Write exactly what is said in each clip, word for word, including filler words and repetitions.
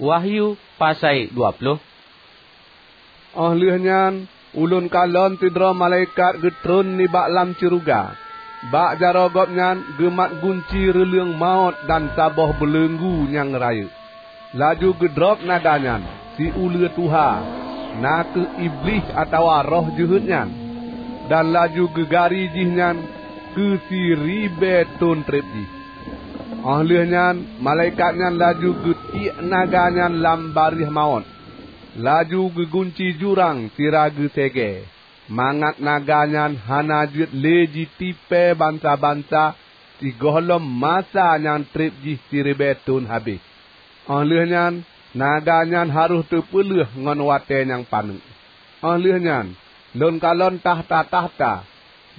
Wahyu pasai dua ploh. Óh lheueh nyan, ulôn kalon sidroe malaikat geutron nibak lam syeuruga. Bak jaroe gobnyan geumat gunci reuleueng mawöt dan saboh beuleunggu nyang rayeuk. Laju geudrob naga nyan, si uleue tuha, na kheueh Iblih atawa roh jeuhet nyan, dan laju geugari jihnyan keu siribée thon treb jih. Óh lheueh nyan, malaikat nyan laju geutiek naga nyan lam bareh mawöt, laju geugunci jurang sira geusegée, mangat naga nyan hana jeuet lé jitipée bansa-bansa sigohlom masa nyang treb jih siribée thon habéh. Óh lheueh nyan, naga nyan harôh teupeuleueh ngon watée nyang paneuk. Óh lheueh nyan, lôn kalon takhta-takhta,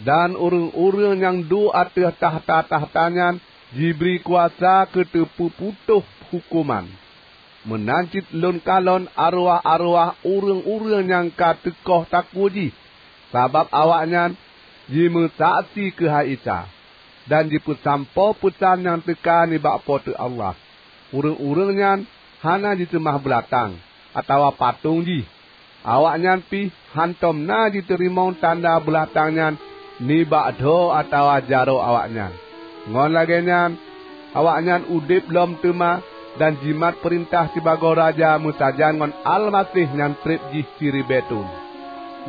dan ureuëng-ureuëng nyang duek ateueh takhta-takhta nyan jibri kuasa keu teupeuputôh huköman. Meunan cit lôn kalon arwah-arwah ureuëng-ureuëng nyang ka teukoh takue jih, sabab awaknyan jimeusaksi keuhai Isa, dan jipeusampoe peusan nyang teuka nibak Po teu Allah. Ureuëng-ureuëng nyan hana jiseumah beulatang atawa patong jih. Awaknyan pih hántom na jiteurimong tanda beulatang nyan nibak dho atawa jaroe awaknyan. Ngon lagée nyan, awaknyan udeb lom teuma dan jimat peurintah sibagoe raja meusajan ngon Almaseh nyang treb jih siribée thon.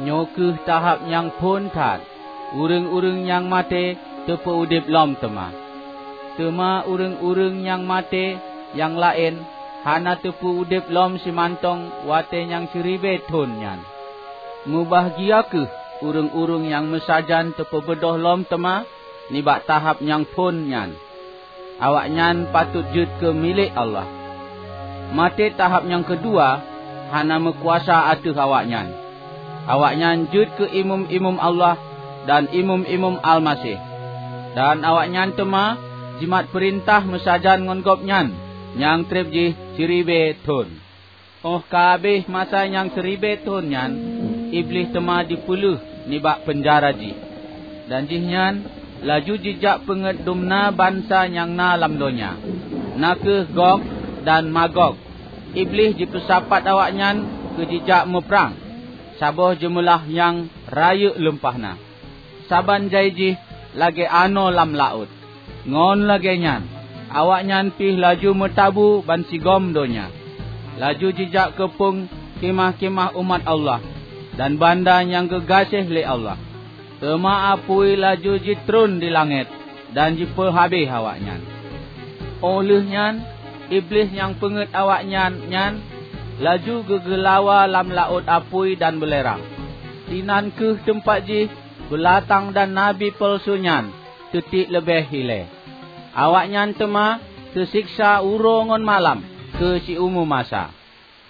Nyoe kheueh tahab nyang phon that, ureuëng-ureuëng nyang maté teupeu-udeb lom teuma. Teuma ureuëng-ureuëng nyang maté nyang laén hana teupeu-udeb lom simantong watée nyang siribée thon nyan. Mubahgia kheueh ureuëng-ureuëng nyang meusajan teupeubeudôh lom teuma nibak tahab nyang phon nyan. Awaknyan patot jeuet keu milék Allah. Maté tahab nyang keudua hana meukuasa ateueh awaknyan. Awaknyan jeuet keu imeum-imeum Allah dan imeum-imeum Almaseh. Dan awaknyan teuma jimat peurintah meusajan ngon Gobnyan nyang treb jih siribée thon. Óh ka habéh masa nyang siribée thon nyan, Iblih teuma jipeuleueh nibak peunjara jih, dan jihnyan laju jijak peungét dumna bansa nyang na lam donya, na kheueh Gog dan Magog. Iblih jipeusapat awaknyan keu jijak muprang, saboh jeumeulah nyang rayeuk lumpah na. Saban jai jih lagée anoe lam laôt. Ngon lagée nyan, awaknyan pih laju meutabu bansigom donya, laju jijak keu peung khimah-khimah umat Allah dan banda nyang geugaséh lé Allah. Teuma apui laju jitreun di langét dan jipeuhabéh awaknyan. Óh lheueh nyan, Iblih nyang peungét awaknyan nyan laju geugeulawa lam laôt apui dan beulerang. Sinan kheueh teumpat jih beulatang dan nabi peulsu nyan teutiek leubeh ilée. Awaknyan teuma teuseksa uroe ngon malam keu siumu masa.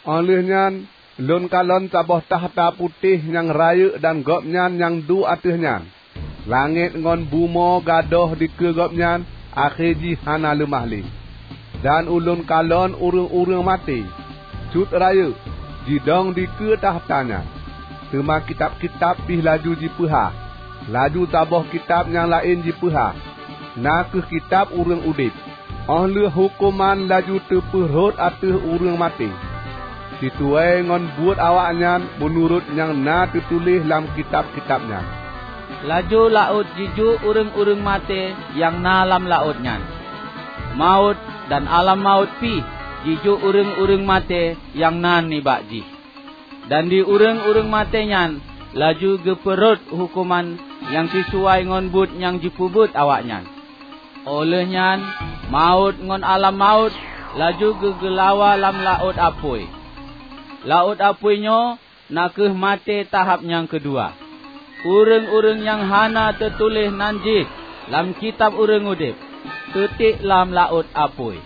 Óh lheueh nyan, lôn kalon saboh takhta putéh nyang rayeuk dan Gobnyan nyang duek ateueh nyan. Langét ngon bumoe gadôh dikeue Gobnyan, akhé jih hana leumah lé. Dan ulôn kalon ureuëng-ureuëng maté, cut rayeuk, jidong dikeue takhta nyan. Teuma kitab-kitab pih laju jipeuhah. Laju saboh kitab nyang laén jipeuhah, na kheueh kitab ureuëng udeb. Óh lheueh huköman laju teupeu rhot ateueh ureuëng maté, sisuai ngon buet awaknyan meunurot nyang na teutuléh lam kitab-kitab nyan. Laju laôt jijok ureuëng-ureuëng maté nyang na lam laôt nyan. Mawöt dan alam mawöt pih jijok ureuëng-ureuëng maté nyang na nibak jih. Dan di ureuëng-ureuëng maté nyan laju geupeurhot huköman nyang sisuai ngon buet nyang jipeubuet awaknyan. Óh lheueh nyan, mawöt ngon alam mawöt laju geugeulawa lam laôt apui. Laôt apui nyoe na kheueh maté tahab nyang keudua. Ureuëng-ureuëng nyang hana teutuléh nan jih lam kitab ureuëng udeb, teutiek lam laôt apui.